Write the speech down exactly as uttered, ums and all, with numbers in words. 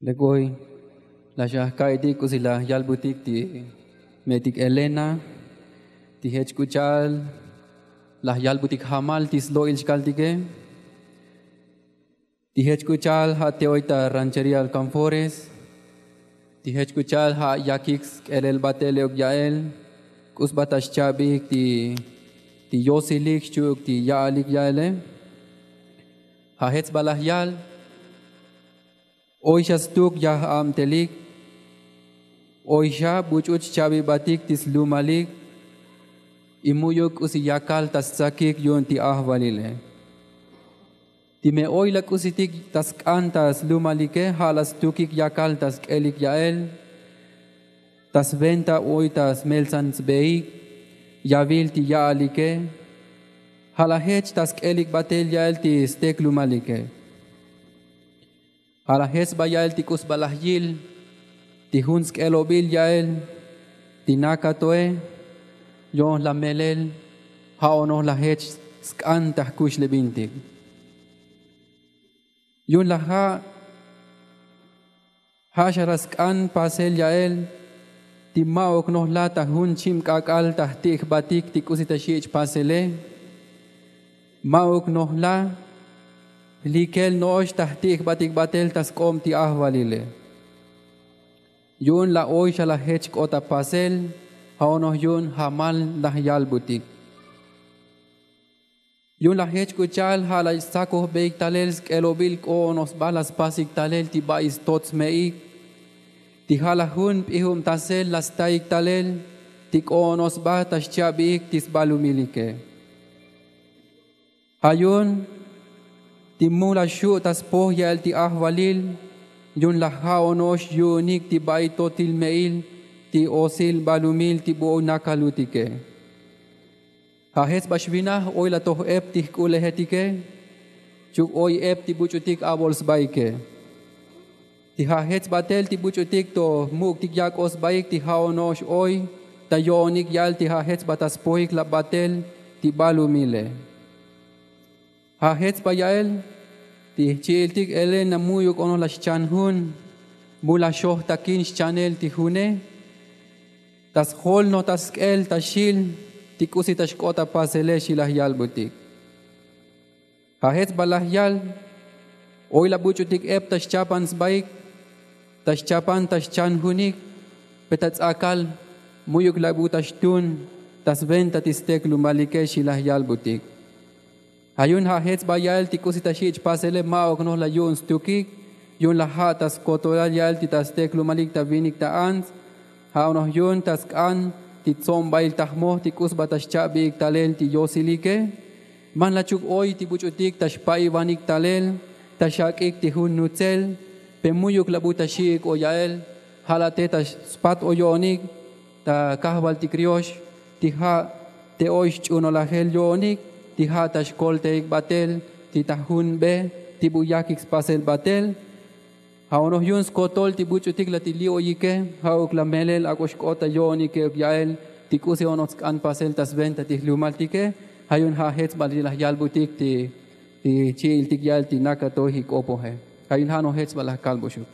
Lekoy, laj xajka'itik k'usi laj yalbutik ti me'etik Elena. Ti jech k'u cha'al laj yalbutik jamal ti slo'il xkaltike. Ti jech k'u cha'al ja' te oy ta ranchería Alcanfores. Ti jech k'u cha'al ja' yakik sk'elel batel e'uk ya'el k'u sba ta xcha'bik ti yosilik xchi'uk ti ya'alik ya'ele. Ja' jech sba laj yal oy xa stuk yaj abtelik. Oy xa buch'u xcha'bibatik ti slumalik. Y mu'yuk k'usi yakal ta stsakik yu'un ti ajvalile. Ti me oy la k'usitik ta sk'an ta slumalike ja' la stukik yakal ta sk'elik ya'el ta sventa oy ta smeltsan sbeik yavil ti ya'alike. Ja' la jech ta sk'elik batel ya'el ti steklumalike. Ja' la jech sba ya'el ti k'u sba laj yil ti jun sk'elobil ya'el ti nakatoe. Yo'on la melel ja' onoj la jech sk'an ta jkuxlebintik. Yu'un laj ja' ja' xa la sk'an pasel ya'el ti ma'uk noj la ta jun chib k'ak'al ta jti'jbatik ti k'usi ta xich' pasele. Ma'uk noj la jlikel no'ox ta jti'jbatik batel ta sk'ob ti ajvalile. Yu'un la oy xa la jech k'ot ta pasel ja' onoj yu'un jamal laj yalbutik. Yu'un laj jech k'u cha'al ja' la stsakojbeik talel sk'elobil k'o onoj sba la spasik talel ti ba'i stot sme'ik. Ti ja' laj jun p'ijubtasel la staik talel ti k'o onoj sba ta xcha'biik ti sbalumilike. Ja' yu'un ti mu la xu' ta spoj ya'el ti ajvalil. Yu'un laj ja' ono'ox yu'unik ti ba'i totil me'il ti osil balumil ti bu oy nakalutike. Ja' jech sba xvinaj oy la toj ep ti jk'ulejetike. Chuk oy ep ti buch'utik abol sbaike. Ti ja' jech sbatel ti buch'utik to muk'tik yak'oj sbaik ti ja' ono'ox oy ta yo'onik ya'el ti ja' jech sba ta spojik la batel ti balumile. Ja' jech sba ya'el ti jchi'iltik Elena mu'yuk onoj la xchan jun. Mu la xoj takin xchanel ti june ta sjol noj ta sk'el ta xil ti k'usi ta xk'ot ta pasele xi laj yalbutik. Ja' jech sba laj yal oy la buch'utik ep ta xchapan sbaik ta xchapan ta xchan junik. Pe ta ts'akal mu'yuk la bu ta xtun ta sventa ti steklumalike xi laj yalbutik. Ja' yu'un ja' jech sba ya'el ti k'usi ta xich' pasele ma'uk noj la yu'un stukik. Yu'un laj ja' ta skotolal ya'el ti ta steklumalik ta vinik ta ants. Ja' onoj yu'un ta sk'an ti tsomba'il ta jmoj ti k'u sba ta xcha'biik talel ti yosilike. Man la chuk oy ti buch'utik ta xpa'ivanik talel ta xak'ik ti jun nutzel. Pe mu'yuk la bu ta xi'ik o ya'el ja' la te ta spat o yo'onik ta kajvaltik riox ti ja' te oy xch'unolajel yo'onik ti ja' ta xkolteik batel ti ta jun be ti bu yakik spasel batel. Ja' onoj yu'un skotol ti buch'utik la ti li'oyike ja'uk la melel ak'o xk'ot ta yo'onike e'uk ya'el ti k'usi onoj tsk'an pasel ta sventa ti jlumaltike. Ja' yu'un ja' jech sba ti laj yalbutik ti chi'iltik ya'el ti nakatoj ik'opoje. Ja' yu'un ja' noj jech sba laj kalbuxuk.